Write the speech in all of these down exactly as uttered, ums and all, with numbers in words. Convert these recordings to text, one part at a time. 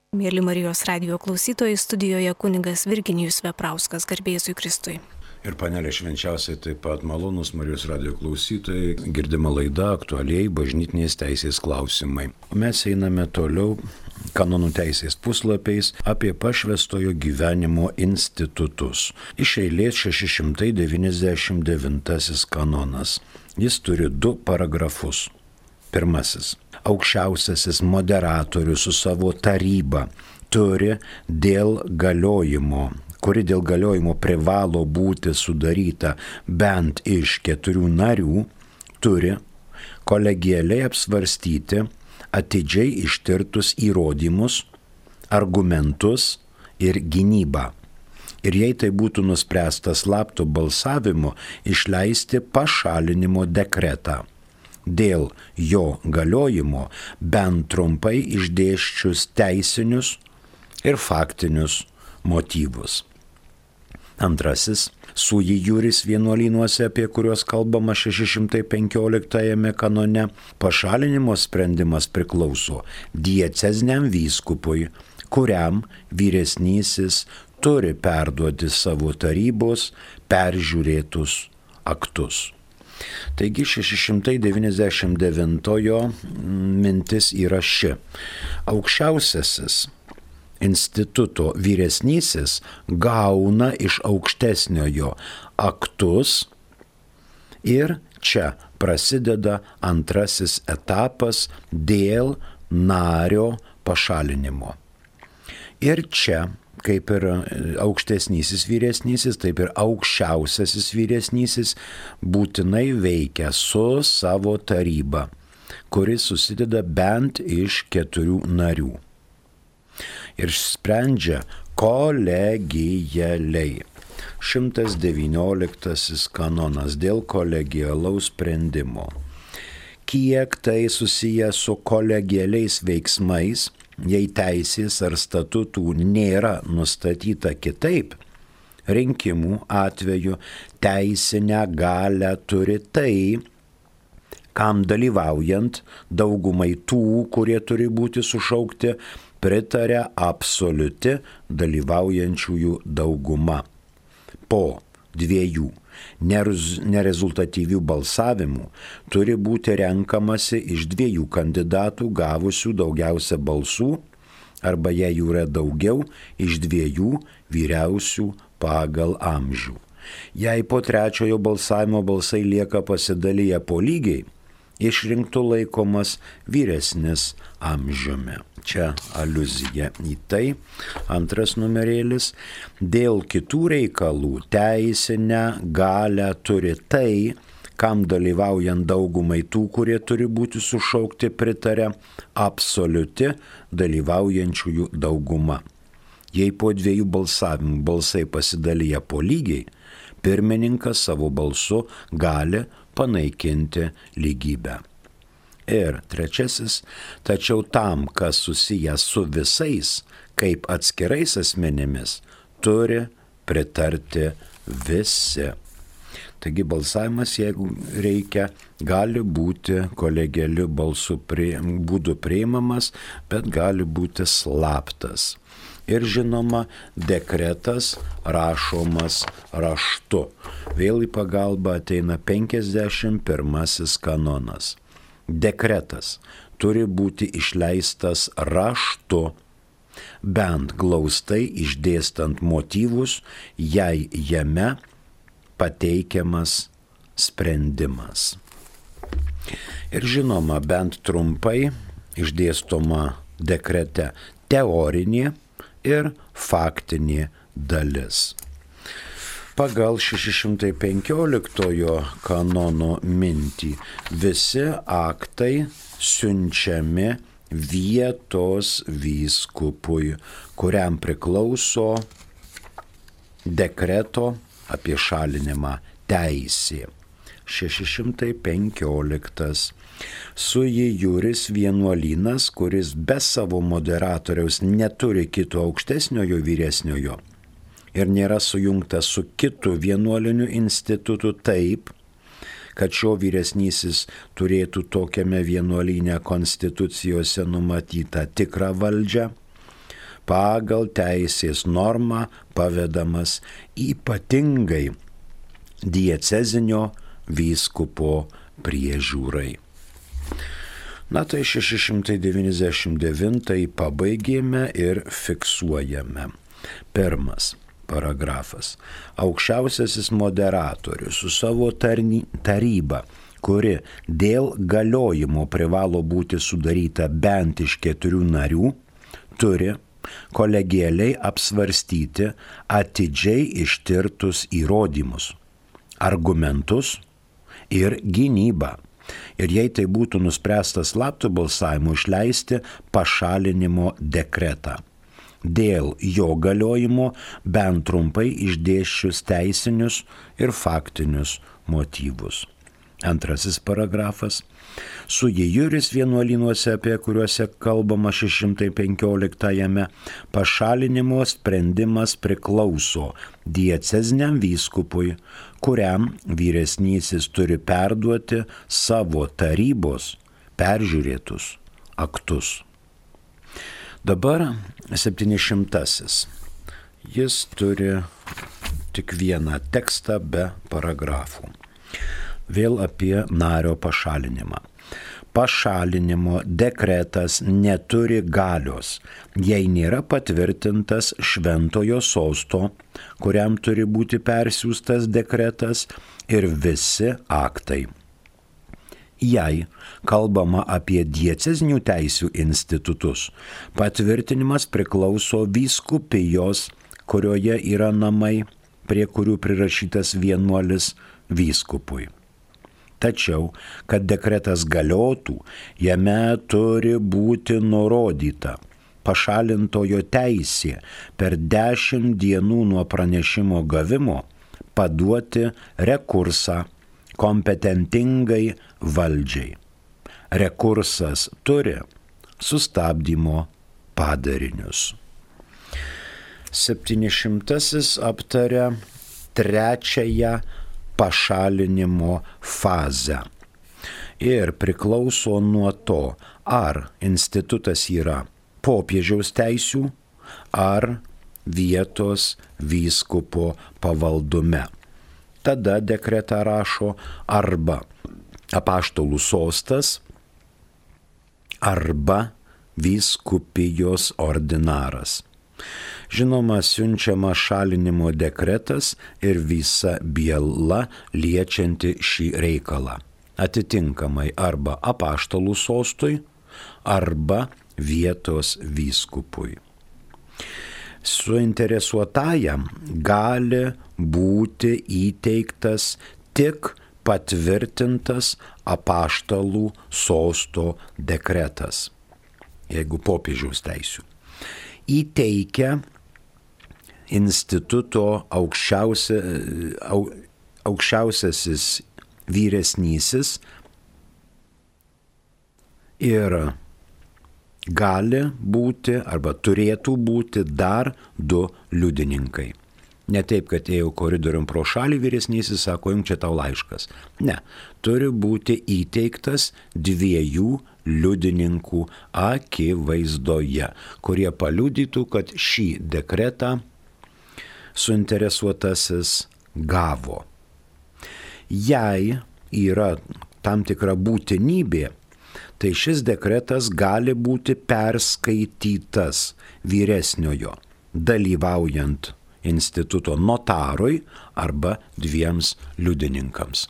Mėly Marijos radijo klausytojai, studijoje kunigas Virginijus Veprauskas, garbė Jėzui Kristui. Ir panelė švenčiausiai taip pat malonus Marijos radijo klausytojai, girdima laida aktualiai bažnytinės teisės klausimai. Mes einame toliau kanonų teisės puslapiais apie pašvęstojo gyvenimo institutus. Iš eilės šeši šimtai devyniasdešimt devintasis kanonas. Jis turi du paragrafus. Pirmasis. Aukščiausiasis moderatorius su savo taryba turi dėl galiojimo, kuri dėl galiojimo privalo būti sudaryta bent iš keturių narių, turi kolegialiai apsvarstyti atidžiai ištirtus įrodymus, argumentus ir gynybą. Ir jei tai būtų nuspręsta slaptu balsavimu, išleisti pašalinimo dekretą. Dėl jo galiojimo bent trumpai išdėsčius teisinius ir faktinius motyvus. Antrasis, sui juris vienuolynuose, apie kuriuos kalbama šeši šimtai penkioliktajame kanone, pašalinimo sprendimas priklauso dieceziniam vyskupui, kuriam vyresnysis turi perduoti savo tarybos peržiūrėtus aktus. Taigi šeši šimtai devyniasdešimt devintojo mintis yra ši. Aukščiausiasis instituto vyresnysis gauna iš aukštesniojo aktus ir čia prasideda antrasis etapas dėl nario pašalinimo. Ir čia, kaip ir aukštesnysis vyresnysis, taip ir aukščiausiasis vyresnysis būtinai veikia su savo taryba, kuri susideda bent iš keturių narių. Ir sprendžia kolegialiai. šimtas devynioliktasis kanonas dėl kolegialaus sprendimo. Kiek tai susiję su kolegialiais veiksmais, jei teisės ar statutų nėra nustatyta kitaip, rinkimų atveju teisinę galią turi tai, kam dalyvaujant daugumai tų, kurie turi būti sušaukti, pritaria absoliuti dalyvaujančiųjų dauguma. Po dviejų nerezultatyvių balsavimų turi būti renkamasi iš dviejų kandidatų gavusių daugiausia balsų arba jei jų yra daugiau iš dviejų vyriausių pagal amžių. Jei po trečiojo balsavimo balsai lieka pasidalyję po lygiai, išrinktų laikomas vyresnis amžiumi. Čia aliuzija į tai. Antras numerėlis. Dėl kitų reikalų teisinę galią turi tai, kam dalyvaujant daugumai tų, kurie turi būti sušaukti, pritaria absoliuti dalyvaujančiųjų dauguma. Jei po dviejų balsavimų balsai pasidalyja po lygiai, pirmininkas savo balsu gali panaikinti lygybę. Ir trečiasis, tačiau tam, kas susijęs su visais, kaip atskirais asmenimis, turi pritarti visi. Taigi balsavimas, jeigu reikia, gali būti kolegialiu balsu prie, būdu priimamas, bet gali būti slaptas. Ir žinoma, dekretas rašomas raštu. Vėl į pagalbą ateina penkiasdešimt pirmasis kanonas. Dekretas turi būti išleistas raštu, bent glaustai išdėstant motyvus, jei jame pateikiamas sprendimas. Ir žinoma, bent trumpai išdėstoma dekrete teorinė ir faktinė dalis. Pagal šeši šimtai penkioliktojo kanono mintį visi aktai siunčiami vietos vyskupui, kuriam priklauso dekreto apie šalinimą teisė. šeši šimtai penkioliktas. Sui juris vienuolynas, kuris be savo moderatoriaus neturi kito aukštesniojo vyresniojo ir nėra sujungtas su kitu vienuoliniu institutu taip, kad šio vyresnysis turėtų tokiame vienuolyne konstitucijose numatytą tikrą valdžią, pagal teisės normą pavedamas ypatingai diecezinio vyskupo priežiūrai. Na tai šeši šimtai devyniasdešimt devintąjį pabaigėme ir fiksuojame. Pirmas paragrafas. Aukščiausiasis moderatorius su savo tarny, taryba, kuri dėl galiojimo privalo būti sudaryta bent iš keturių narių, turi kolegialiai apsvarstyti atidžiai ištirtus įrodymus, argumentus ir gynybą. Ir jei tai būtų nuspręsta slaptu balsavimu, išleisti pašalinimo dekretą. Dėl jo galiojimo bent trumpai išdėsčius teisinius ir faktinius motyvus. Antrasis paragrafas. Sui juris vienuolynuose, apie kuriuose kalbama šeši šimtai penkioliktajame, pašalinimo sprendimas priklauso dieceziniam vyskupui, kuriam vyresnysis turi perduoti savo tarybos peržiūrėtus aktus. Dabar septynišimtasis. Jis turi tik vieną tekstą be paragrafų. Vėl apie nario pašalinimą. Pašalinimo dekretas neturi galios, jei nėra patvirtintas šventojo sosto, kuriam turi būti persiųstas dekretas, ir visi aktai. Jei kalbama apie diecezinių teisių institutus, patvirtinimas priklauso vyskupijos, kurioje yra namai, prie kurių prirašytas vienuolis, vyskupui. Tačiau, kad dekretas galiotų, jame turi būti nurodyta pašalintojo teisė per dešimt dienų nuo pranešimo gavimo paduoti rekursą kompetentingai valdžiai. Rekursas turi sustabdymo padarinius. Septynišimtasis aptaria trečiąją pašalinimo fazę. Ir priklauso nuo to, ar institutas yra popiežiaus teisių, ar vietos vyskupo pavaldume. Tada dekretą rašo arba apaštalų sostas, arba vyskupijos ordinaras. Žinoma, siunčiama šalinimo dekretas ir visa byla liečianti šį reikalą. Atitinkamai arba apaštalų sostui, arba vietos vyskupui. Suinteresuotajam gali būti įteiktas tik patvirtintas apaštalų sosto dekretas, jeigu popiežiaus teisių. Įteikia instituto aukščiausia, au, aukščiausiasis vyresnysis ir gali būti arba turėtų būti dar du liudininkai. Ne taip, kad ėjau koridorium pro šalį, vyresnysis sako, jums čia tau laiškas. Ne, turi būti įteiktas dviejų liudininkų akivaizdoje, kurie paliudytų, kad šį dekretą suinteresuotasis gavo. Jei yra tam tikra būtinybė, tai šis dekretas gali būti perskaitytas vyresniojo, dalyvaujant instituto notarui arba dviems liudininkams.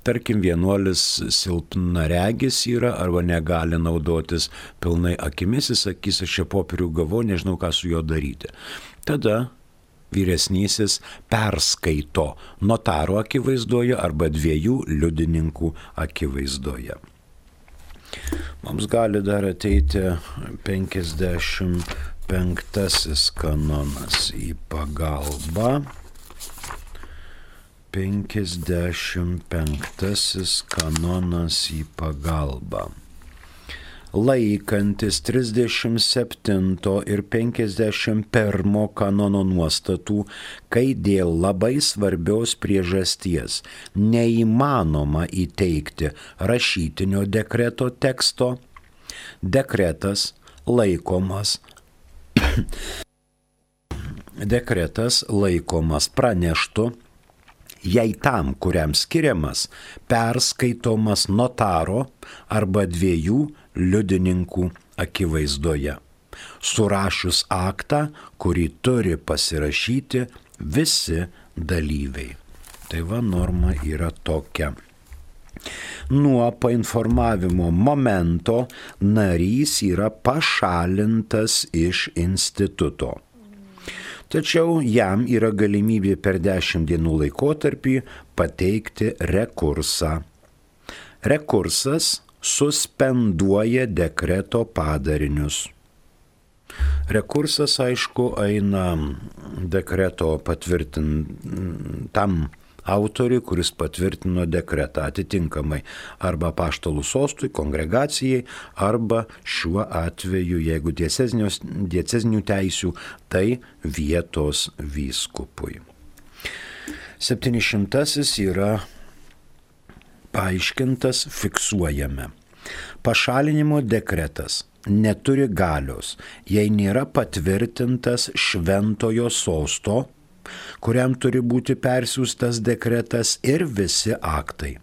Tarkim, vienuolis silpnaregis yra arba negali naudotis pilnai akimis, jis sakys, aš čia popierių gavau, nežinau, ką su juo daryti. Tada vyresnysis perskaito notaro akivaizdoje arba dviejų liudininkų akivaizdoje. Mums gali dar ateiti penkiasdešimt penktasis kanonas į pagalbą. penkiasdešimt penktasis kanonas į pagalbą. Laikantis trisdešimt septinto ir penkiasdešimt pirmo kanono nuostatų, kai dėl labai svarbios priežasties neįmanoma įteikti rašytinio dekreto teksto, dekretas laikomas dekretas laikomas praneštu, jei tam, kuriam skiriamas, perskaitomas notaro arba dviejų liudininkų akivaizdoje, surašius aktą, kurį turi pasirašyti visi dalyviai. Tai va, norma yra tokia. Nuo painformavimo momento narys yra pašalintas iš instituto. Tačiau jam yra galimybė per dešimt dienų laikotarpį pateikti rekursą. Rekursas suspenduoja dekreto padarinius. Rekursas, aišku, eina dekreto patvirtintam autoriui, kuris patvirtino dekretą atitinkamai arba apaštalų sostui, kongregacijai, arba šiuo atveju, jeigu diecezinių teisių, tai vietos vyskupui. Septynišimtasis yra paaiškintas, fiksuojame. Pašalinimo dekretas neturi galios, jei nėra patvirtintas šventojo sosto, kuriam turi būti persiųstas dekretas ir visi aktai.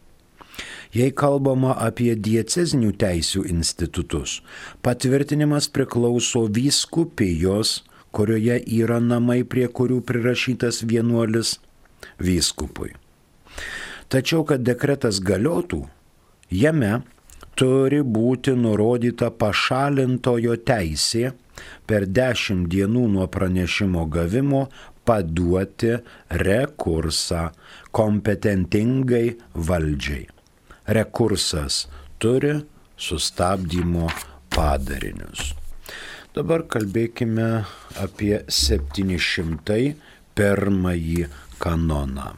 Jei kalbama apie diecezinių teisių institutus, patvirtinimas priklauso vyskupijos, kurioje yra namai, prie kurių prirašytas vienuolis, vyskupui. Tačiau, kad dekretas galiotų, jame turi būti nurodyta pašalintojo teisė per dešimt dienų nuo pranešimo gavimo paduoti rekursą kompetentingai valdžiai. Rekursas turi sustabdymo padarinius. Dabar kalbėkime apie septynišimtą pirmąjį kanoną.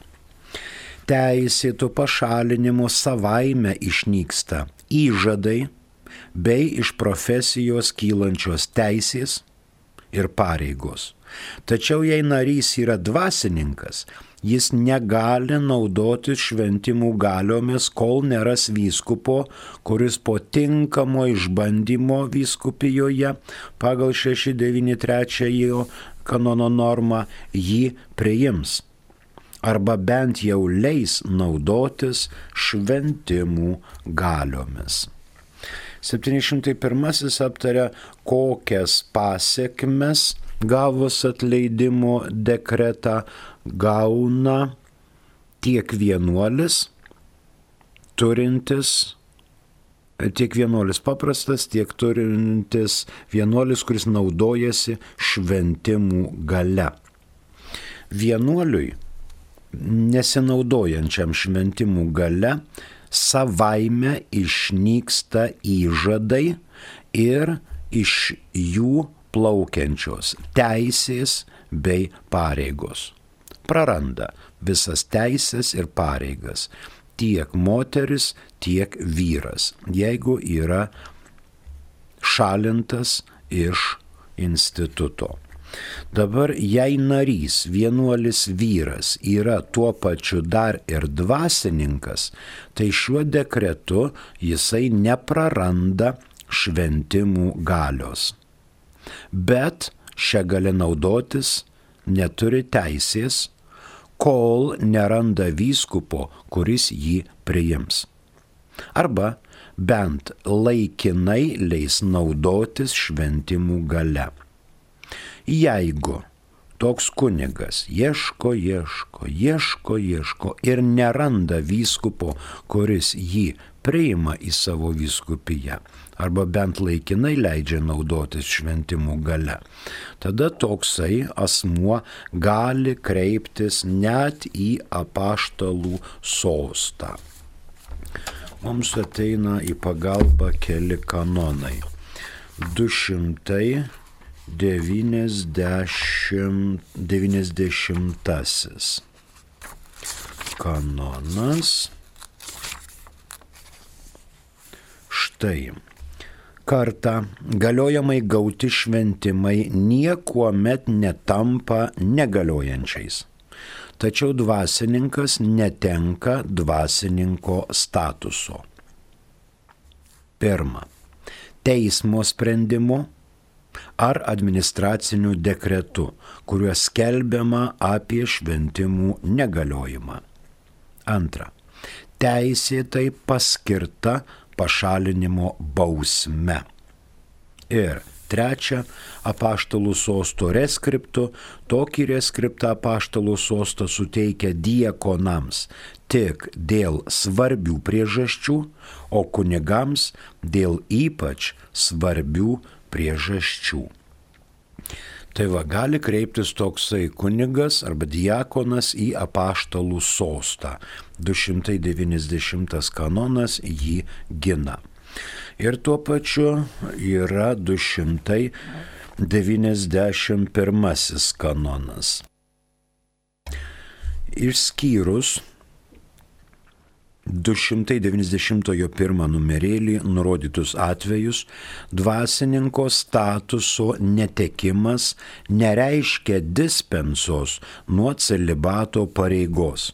Teisėto pašalinimo savaime išnyksta įžadai bei iš profesijos kylančios teisės ir pareigos. Tačiau jei narys yra dvasininkas, jis negali naudoti šventimų galiomis, kol neras vyskupo, kuris po tinkamo išbandymo vyskupijoje pagal šeši devyni trečiąjį kanono normą jį priims, arba bent jau leis naudotis šventimų galiomis. septynišimtas pirmasis aptaria, kokias pasekmes gavus atleidimo dekretą gauna tiek vienuolis turintis, tiek vienuolis paprastas, tiek turintis vienuolis, kuris naudojasi šventimų galia. Vienuoliui, nesinaudojančiam šventimų galia, savaime išnyksta įžadai ir iš jų plaukiančios teisės bei pareigos. Praranda visas teisės ir pareigas tiek moteris, tiek vyras, jeigu yra šalintas iš instituto. Dabar, jei narys, vienuolis vyras yra tuo pačiu dar ir dvasininkas, tai šiuo dekretu jisai nepraranda šventimų galios. Bet šią gali naudotis neturi teisės, kol neranda vyskupo, kuris jį priims. Arba bent laikinai leis naudotis šventimų galia. Jeigu toks kunigas ieško, ieško, ieško, ieško ir neranda vyskupo, kuris jį priima į savo vyskupiją, arba bent laikinai leidžia naudotis šventimų galia, tada toksai asmuo gali kreiptis net į apaštalų sostą. Mums ateina į pagalbą keli kanonai. du šimtai devyniasdešimtasis kanonas. Štai. Kartą galiojamai gauti šventimai niekuomet netampa negaliojančiais. Tačiau dvasininkas netenka dvasininko statuso. Pirma, teismo sprendimu ar administraciniu dekretu, kuriuo skelbiama apie šventimų negaliojimą. Antra, teisėtai paskirta pašalinimo bausme. Ir trečia, apaštalų sosto reskriptu. Tokį reskriptą apaštalų sosto suteikia diakonams tik dėl svarbių priežasčių, o kunigams dėl ypač svarbių priežasčių. Tai va, gali kreiptis toksai kunigas arba diakonas į apaštalų sostą. du šimtai devyniasdešimtas kanonas jį gina. Ir tuo pačiu yra du šimtai devyniasdešimt pirmasis kanonas. Išskyrus du šimtai devyniasdešimt pirmą numerėlį nurodytus atvejus, dvasininko statuso netekimas nereiškia dispensos nuo celibato pareigos.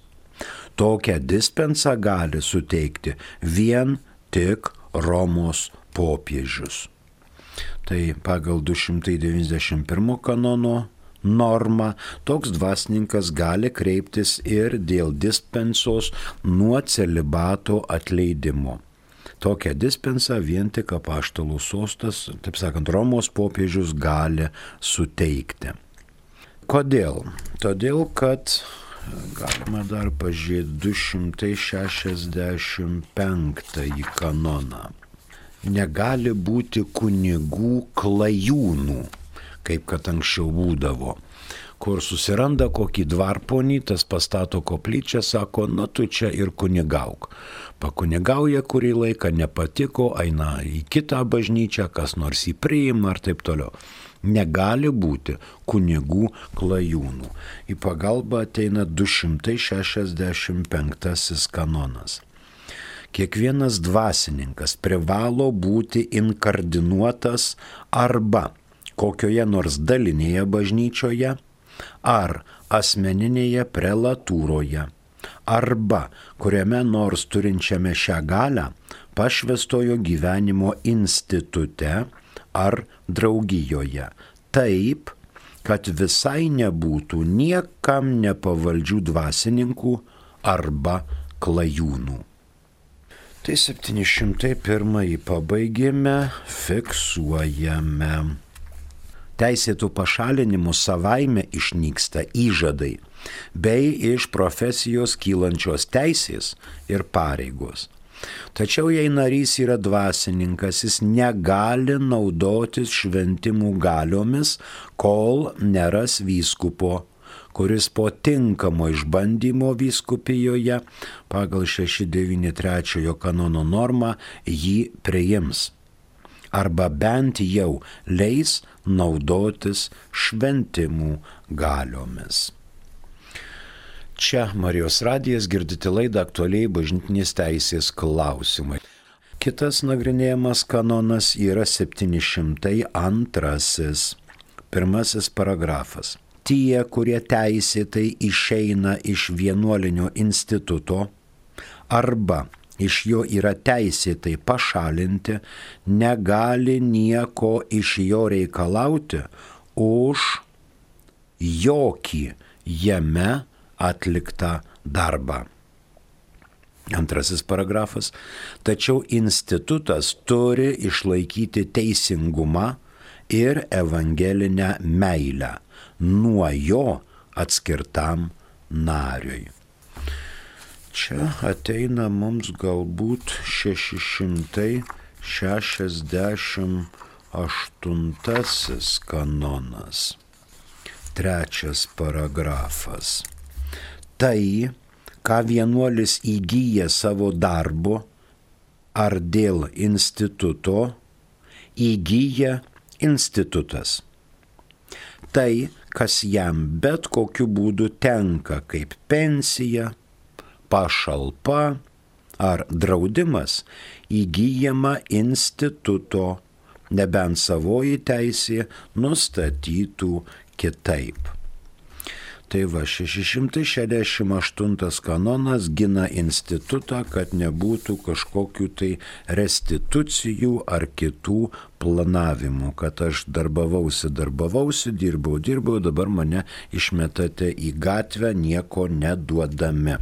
Tokią dispensą gali suteikti vien tik Romos popiežius. Tai pagal du šimtai devyniasdešimt pirmo kanono normą toks dvasininkas gali kreiptis ir dėl dispensos nuo celibato atleidimo. Tokią dispensą vien tik apaštalų sostas, taip sakant, Romos popiežius gali suteikti. Kodėl? Todėl, kad galima dar pažiūrėti du šimtai šešiasdešimt penktąjį kanoną. Negali būti kunigų klajūnų, kaip kad anksčiau būdavo, kur susiranda kokį dvarponį, tas pastato koplyčią, sako, na tu čia ir kunigauk. Pakunigauja kurį laiką, nepatiko, eina į kitą bažnyčią, kas nors jį priima ir taip toliau. Negali būti kunigų klajūnų. Į pagalbą ateina du šimtai šešiasdešimt penktasis kanonas. Kiekvienas dvasininkas privalo būti inkardinuotas arba kokioje nors dalinėje bažnyčioje, ar asmeninėje prelatūroje, arba kuriame nors turinčiame šią galią pašvęstojo gyvenimo institute ar draugijoje, taip, kad visai nebūtų niekam nepavaldžių dvasininkų arba klajūnų. Tai septyni šimtai pirmąjį pabaigėme, fiksuojame. Teisėtų pašalinimų savaime išnyksta įžadai, bei iš profesijos kylančios teisės ir pareigos. Tačiau jei narys yra dvasininkas, jis negali naudotis šventimų galiomis, kol neras vyskupo, kuris po tinkamo išbandymo vyskupijoje pagal šeši devyni trečiojo kanono normą jį priims. Arba bent jau leis naudotis šventimų galiomis. Čia Marijos radijas, girdite laidą Aktualiai bažnytinės teisės klausimai. Kitas nagrinėjamas kanonas yra septyni šimtai antrasis. Pirmasis paragrafas. Tie, kurie teisėtai išeina iš vienuolinio instituto arba iš jo yra teisėtai pašalinti, negali nieko iš jo reikalauti už jokį jame atliktą darbą. Antrasis paragrafas. Tačiau institutas turi išlaikyti teisingumą ir evangelinę meilę nuo jo atskirtam nariui. Čia ateina mums galbūt šeši šimtai šešiasdešimt aštuntasis kanonas. Trečias paragrafas. Tai, ką vienuolis įgyja savo darbo ar dėl instituto, įgyja institutas. Tai, kas jam bet kokiu būdu tenka kaip pensija, pašalpa ar draudimas, įgyjama instituto, nebent savoji teisė nustatytų kitaip. Tai va, šeši šimtai šešiasdešimt aštuntas kanonas gina institutą, kad nebūtų kažkokių tai restitucijų ar kitų planavimų, kad aš darbavausi, darbavausi, dirbau, dirbau, dabar mane išmetate į gatvę nieko neduodami.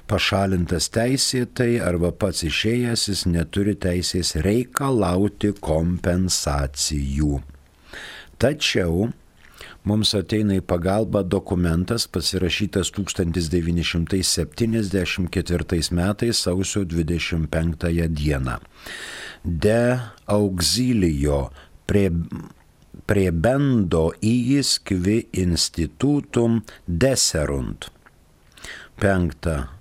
Pašalintas teisėtai arba pats išėjęs, jis neturi teisės reikalauti kompensacijų. Tačiau mums ateina į pagalbą dokumentas pasirašytas tūkstantis devyni šimtai septyniasdešimt ketvirtais metais sausio dvidešimt penktąją dieną. De auxilio pre, prebendo iis qui institutum deserunt. Penkta,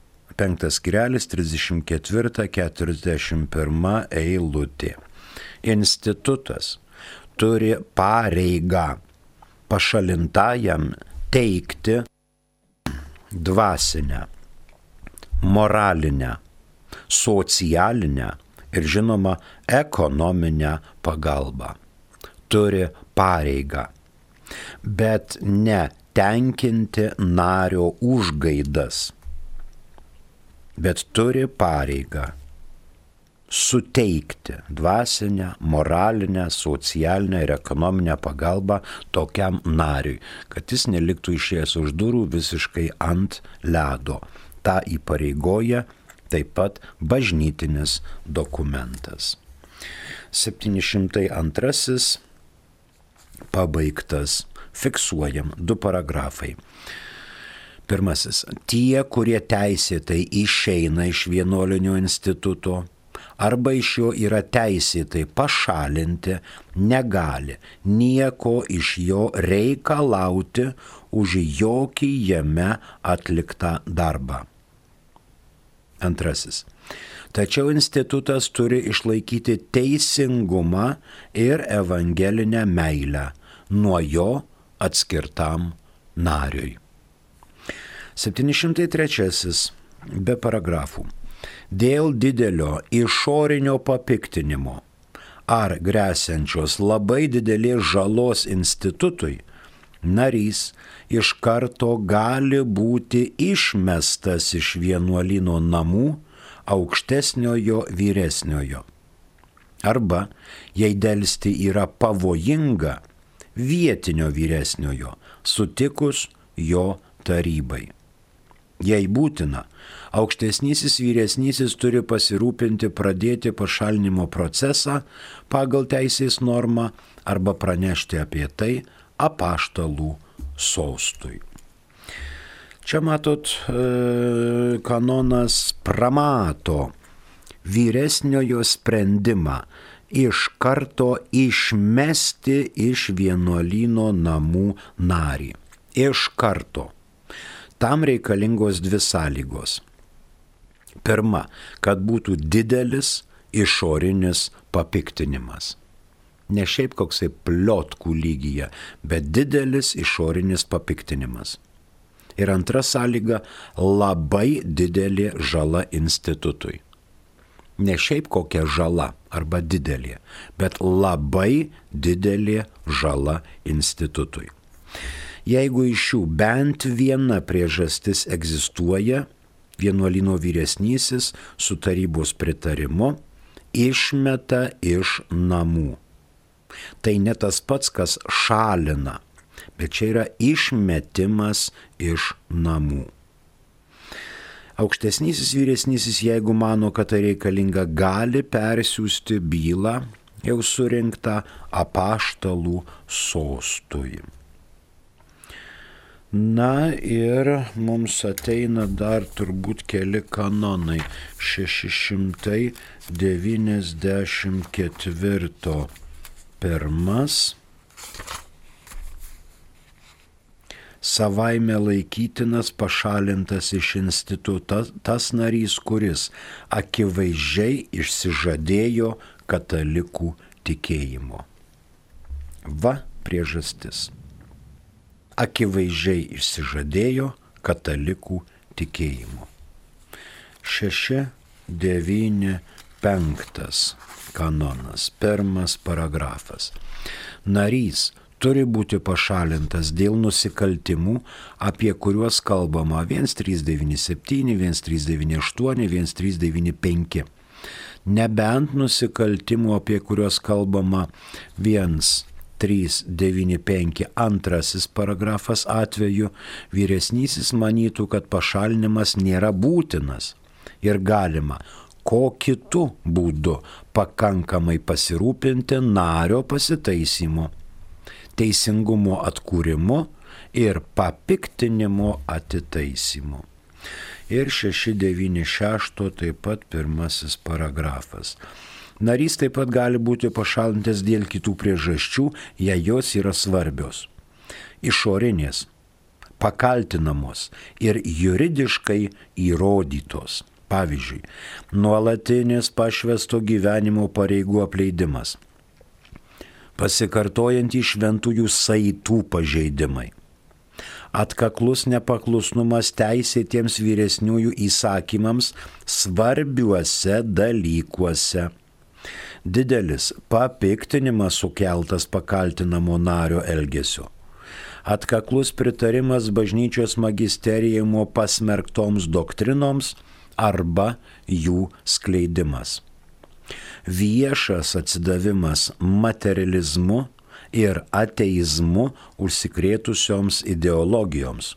penktas skirelis, trisdešimt ketvirta keturiasdešimt pirma eilutė. Institutas turi pareigą pašalintajam teikti dvasinę, moralinę, socialinę ir žinoma ekonominę pagalbą. Turi pareigą, bet ne tenkinti nario užgaidas, bet turi pareigą suteikti dvasinę, moralinę, socialinę ir ekonominę pagalbą tokiam nariui, kad jis neliktų išėjęs už durų visiškai ant ledo. Ta įpareigoja taip pat bažnytinis dokumentas. septyni šimtai antrasis pabaigtas. Fiksuojam du paragrafai. Pirmasis. Tie, kurie teisėtai išeina iš vienuolinio instituto, arba iš jo yra teisėtai pašalinti, negali nieko iš jo reikalauti už jokį jame atliktą darbą. Antrasis. Tačiau institutas turi išlaikyti teisingumą ir evangelinę meilę nuo jo atskirtam nariui. septyni šimtai trečiasis be paragrafų. Dėl didelio išorinio papiktinimo ar gresiančios labai didelės žalos institutui, narys iš karto gali būti išmestas iš vienuolyno namų aukštesniojo vyresniojo. Arba, jei delsti yra pavojinga, vietinio vyresniojo, sutikus jo tarybai. Jei būtina, aukštesnysis vyresnysis turi pasirūpinti pradėti pašalinimo procesą pagal teisės normą arba pranešti apie tai apaštalų sostui. Čia matot, kanonas pramato vyresniojo sprendimą iš karto išmesti iš vienuolyno namų narį. Iš karto. Tam reikalingos dvi sąlygos. Pirma, kad būtų didelis išorinis papiktinimas. Ne šiaip koksai pliotkų lygyje, bet didelis išorinis papiktinimas. Ir antra sąlyga – labai didelė žala institutui. Ne šiaip kokia žala arba didelė, bet labai didelė žala institutui. Jeigu iš jų bent viena priežastis egzistuoja, vienuolyno vyresnysis su tarybos pritarimu išmeta iš namų. Tai ne tas pats, kas šalina, bet čia yra išmetimas iš namų. Aukštesnysis vyresnysis, jeigu mano, kad tai reikalinga, gali persiųsti bylą jau surinktą apaštalų sostui. Na ir mums ateina dar turbūt keli kanonai. šeši šimtai devyniasdešimt ketvirto pirmas. Savaime laikytinas pašalintas iš instituto tas narys, kuris akivaizdžiai išsižadėjo katalikų tikėjimo. Va priežastis. Akivaizdžiai išsižadėjo katalikų tikėjimo. šeši devyni penktas kanonas, pirmas paragrafas. Narys turi būti pašalintas dėl nusikaltimų, apie kuriuos kalbama vienas trys devyni septyni, vienas trys devyni aštuoni, vienas trys devyni penki. Nebent nusikaltimų, apie kuriuos kalbama vienas trys devyni penki antrasis paragrafas atveju, vyresnysis manytų, kad pašalinimas nėra būtinas ir galima ko kitu būdu pakankamai pasirūpinti nario pasitaisymu, teisingumo atkūrimu ir papiktinimo atitaisymu. Ir šeši devyni šeši taip pat pirmasis paragrafas. Narys taip pat gali būti pašalintas dėl kitų priežasčių, jei jos yra svarbios. Išorinės, pakaltinamos ir juridiškai įrodytos. Pavyzdžiui, nuolatinis pašvęsto gyvenimo pareigų apleidimas, pasikartojantys šventųjų saitų pažeidimai, atkaklus nepaklusnumas teisėtiems vyresniųjų įsakymams svarbiuose dalykuose, didelis papiktinimas sukeltas pakaltinamo nario elgesio, atkaklus pritarimas bažnyčios magisterijumo pasmerktoms doktrinoms arba jų skleidimas, viešas atsidavimas materializmu ir ateizmu užsikrėtusioms ideologijoms,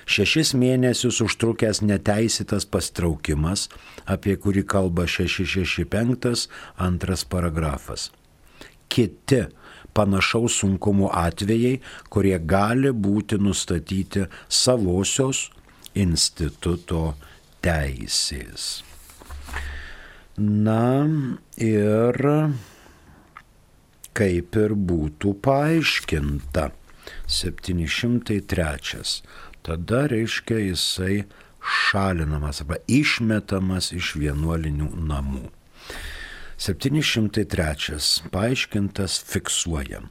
šešis mėnesius užtrukęs neteisėtas pastraukimas, apie kurį kalba šeši šeši penki antras paragrafas, kiti panašaus sunkumo atvejai, kurie gali būti nustatyti savosios instituto teisės. Na ir kaip ir būtų paaiškinta, septyni šimtai trečias. Tada reiškia jisai šalinamas arba išmetamas iš vienuolinių namų. septyni šimtai trečias paaiškintas fiksuoja.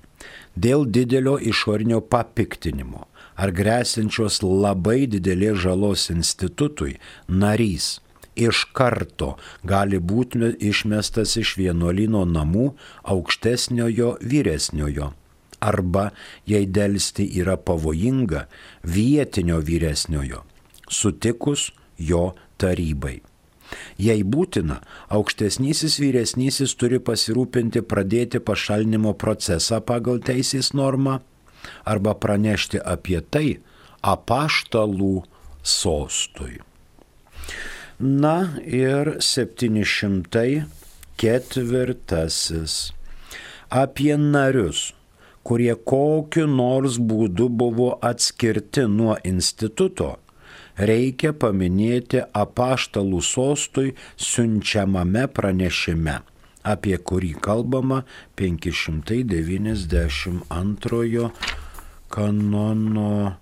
Dėl didelio išorinio papiktinimo ar gresiančios labai didelės žalos institutui narys iš karto gali būti išmestas iš vienuolyno namų aukštesniojo vyresniojo arba, jei delsti yra pavojinga, vietinio vyresniojo, sutikus jo tarybai. Jei būtina, aukštesnysis vyresnysis turi pasirūpinti pradėti pašalinimo procesą pagal teisės normą arba pranešti apie tai apaštalų sostui. Na ir septyni šimtai ketvirtasis. Apie narius, kurie kokiu nors būdu buvo atskirti nuo instituto, reikia paminėti apaštalų sostui siunčiamame pranešime, apie kurį kalbama penki šimtai devyniasdešimt antrojo kanono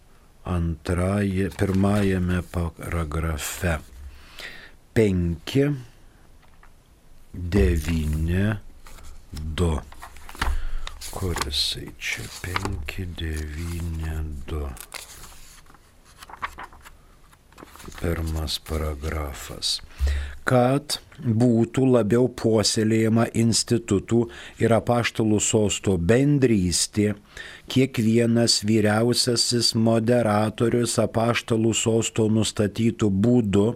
antraje, pirmajame paragrafe. penki devyni du. Kurisai čia penki devyni du. Pirmas paragrafas. Kad būtų labiau puoselėjama institutų ir apaštalų sosto bendrystė, kiekvienas vyriausiasis moderatorius apaštalų sosto nustatytų būdu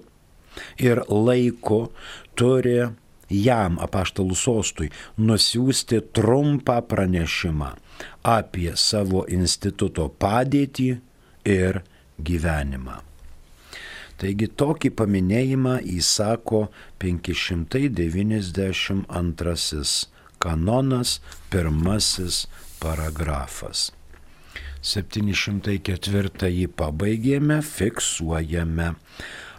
ir laiku turi jam, apaštalų sostui, nusiųsti trumpą pranešimą apie savo instituto padėtį ir gyvenimą. Taigi tokį paminėjimą įsako penki šimtai devyniasdešimt antrasis kanonas, pirmasis paragrafas. septyni šimtai ketvirtąjį pabaigėme, fiksuojame.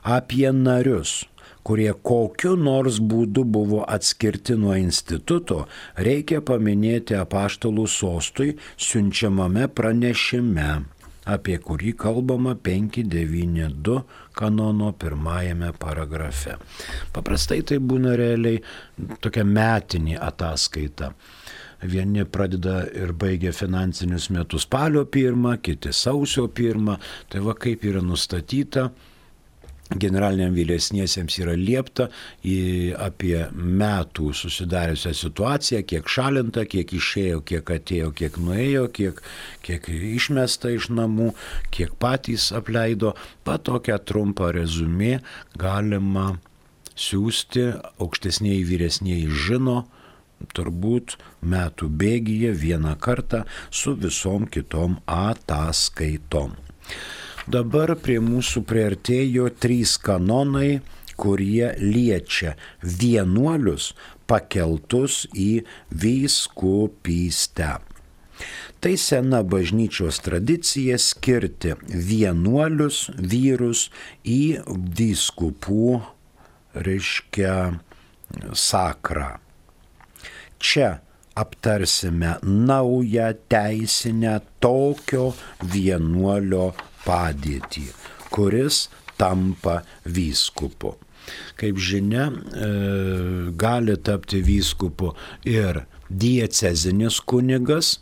Apie narius, kurie kokiu nors būdu buvo atskirti nuo instituto, reikia paminėti apaštalų sostui siunčiamame pranešime, apie kurį kalbama penki devyni du kanono pirmajame paragrafe. Paprastai tai būna realiai tokia metinė ataskaita. Vieni pradeda ir baigia finansinius metus spalio pirmą, kiti sausio pirmą. Tai va kaip yra nustatyta, generaliniam vyresniesiems yra liepta apie metų susidariusią situaciją, kiek šalinta, kiek išėjo, kiek atėjo, kiek nuėjo, kiek, kiek išmesta iš namų, kiek patys apleido. Pat tokią trumpą rezumė galima siūsti, aukštesnieji vyresnieji žino, turbūt metų bėgyje vieną kartą su visom kitom ataskaitom. Dabar prie mūsų priartėjo trys kanonai, kurie liečia vienuolius pakeltus į vyskupystę. Tai sena bažnyčios tradicija skirti vienuolius vyrus į vyskupų, reiškia, sakrą. Čia aptarsime naują teisinę tokio vienuolio padėtį, kuris tampa vyskupu. Kaip žinia, gali tapti vyskupu ir diecezinis kunigas,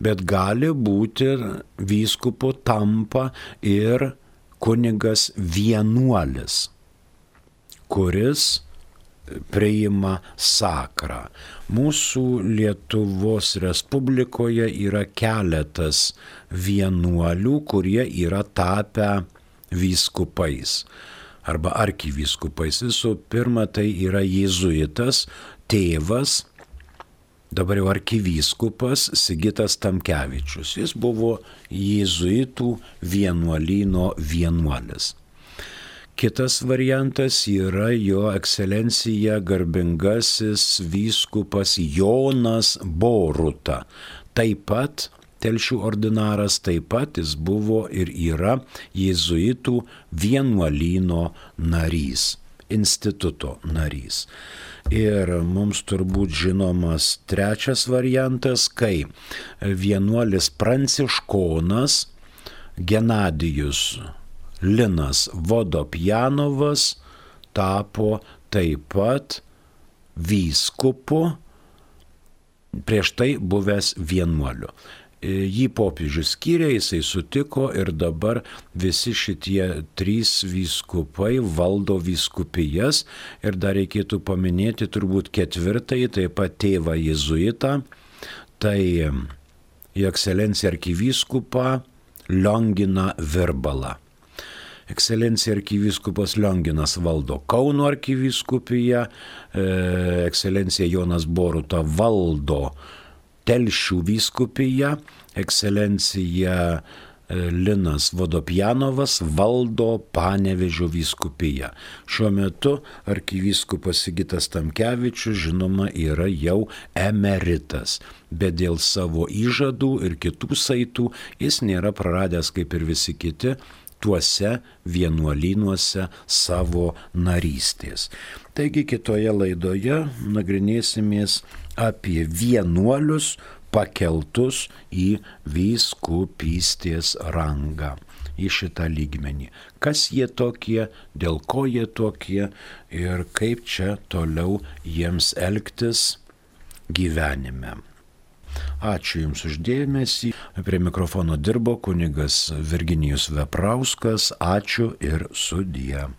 bet gali būti vyskupu tampa ir kunigas vienuolis, kuris priima sakrą. Mūsų Lietuvos Respublikoje yra keletas vienuolių, kurie yra tapę vyskupais arba arkivyskupais. Visų pirma, tai yra jėzuitas tėvas, dabar jau arkivyskupas Sigitas Tamkevičius. Jis buvo jėzuitų vienuolyno vienuolis. Kitas variantas yra jo ekscelencija garbingasis vyskupas Jonas Boruta. Taip pat Telšių ordinaras, taip pat jis buvo ir yra jėzuitų vienuolyno narys, instituto narys. Ir mums turbūt žinomas trečias variantas, kai vienuolis pranciškonas Genadijus Linas Vodopjanovas tapo taip pat vyskupu, prieš tai buvęs vienuoliu. Jį popiežius skyrė, jisai sutiko ir dabar visi šitie trys vyskupai valdo vyskupijas ir dar reikėtų paminėti turbūt ketvirtąjį, taip pat tėvą jėzuitą, tai jo ekscelencija arkivyskupą Lionginą Virbalą. Ekscelencija arkivyskupas Lionginas valdo Kauno arkivyskupiją, ekscelencija Jonas Boruta valdo Telšių vyskupiją, ekscelencija Linas Vodopjanovas valdo Panevėžio vyskupiją. Šiuo metu arkivyskupas Sigitas Tamkevičius, žinoma, yra jau emeritas, bet dėl savo įžadų ir kitų saitų jis nėra praradęs, kaip ir visi kiti, tuose vienuolynuose savo narystės. Taigi kitoje laidoje nagrinėsimės apie vienuolius pakeltus į vyskupystės rangą, į šitą lygmenį. Kas jie tokie, dėl ko jie tokie ir kaip čia toliau jiems elgtis gyvenime. Ačiū Jums uždėmesį. Prie mikrofono dirbo kunigas Virginijus Veprauskas. Ačiū ir sudie.